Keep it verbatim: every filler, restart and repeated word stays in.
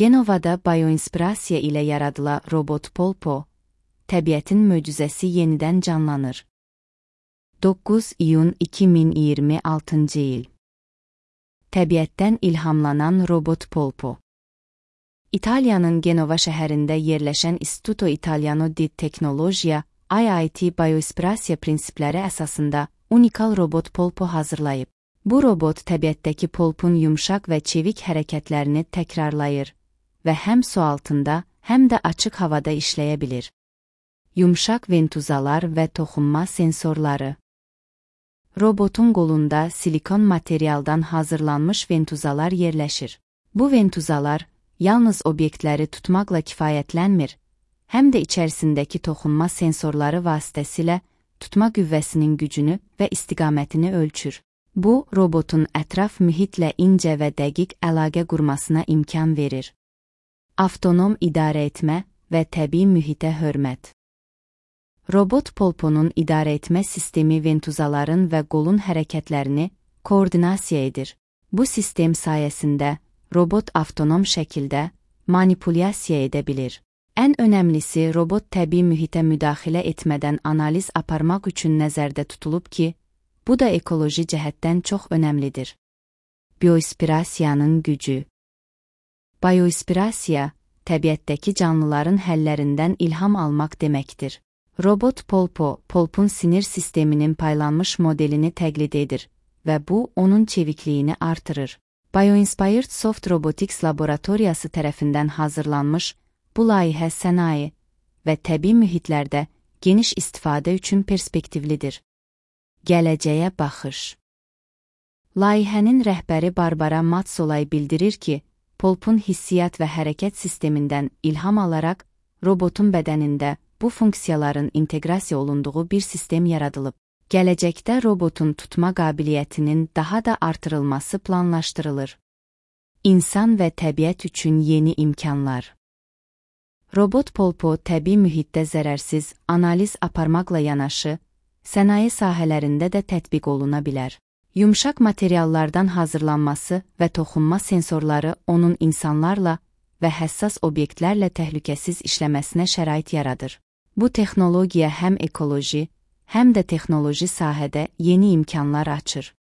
Genovada bioinspirasiya ilə yaradılan robot Polpo, təbiətin möcüzəsi yenidən canlanır. doqquz iyun iki min iyirmi altıncı il. Təbiətdən ilhamlanan robot Polpo. İtaliyanın Genova şəhərində yerləşən Istituto Italiano di Tecnologia I I T bioinspirasiya prinsipləri əsasında unikal robot Polpo hazırlayıb. Bu robot təbiətdəki polpun yumşaq və çevik hərəkətlərini təkrarlayır və həm su altında, həm də açıq havada işləyə bilir. Yumşaq ventuzalar və toxunma sensorları. Robotun qolunda silikon materialdan hazırlanmış ventuzalar yerləşir. Bu ventuzalar yalnız obyektləri tutmaqla kifayətlənmir, həm də içərisindəki toxunma sensorları vasitəsilə tutma qüvvəsinin gücünü və istiqamətini ölçür. Bu, robotun ətraf mühitlə incə və dəqiq əlaqə qurmasına imkan verir. Avtonom idarə etmə və təbii mühitə hörmət. Robot Polponun idarə etmə sistemi ventuzaların və qolun hərəkətlərini koordinasiya edir. Bu sistem sayəsində robot avtonom şəkildə manipulyasiya edə bilir. Ən önəmlisi, robot təbii mühitə müdaxilə etmədən analiz aparmaq üçün nəzərdə tutulub ki, bu da ekoloji cəhətdən çox önəmlidir. Bioinspirasiyanın gücü. Bioinspirasiya, təbiətdəki canlıların həllərindən ilham almaq deməkdir. Robot Polpo, polpun sinir sisteminin paylanmış modelini təqlid edir və bu, onun çevikliyini artırır. Bioinspired Soft Robotics Laboratoriyası tərəfindən hazırlanmış bu layihə sənaye və təbii mühitlərdə geniş istifadə üçün perspektivlidir. Gələcəyə baxış. Layihənin rəhbəri Barbara Matsolay bildirir ki, polpun hissiyat və hərəkət sistemindən ilham alaraq robotun bədənində bu funksiyaların inteqrasiya olunduğu bir sistem yaradılıb. Gələcəkdə robotun tutma qabiliyyətinin daha da artırılması planlaşdırılır. İnsan və təbiət üçün yeni imkanlar. Robot Polpo təbii mühitdə zərərsiz analiz aparmaqla yanaşı, sənaye sahələrində də tətbiq oluna bilər. Yumşaq materiallardan hazırlanması və toxunma sensorları onun insanlarla və həssas obyektlərlə təhlükəsiz işləməsinə şərait yaradır. Bu texnologiya həm ekoloji, həm də texnoloji sahədə yeni imkanlar açır.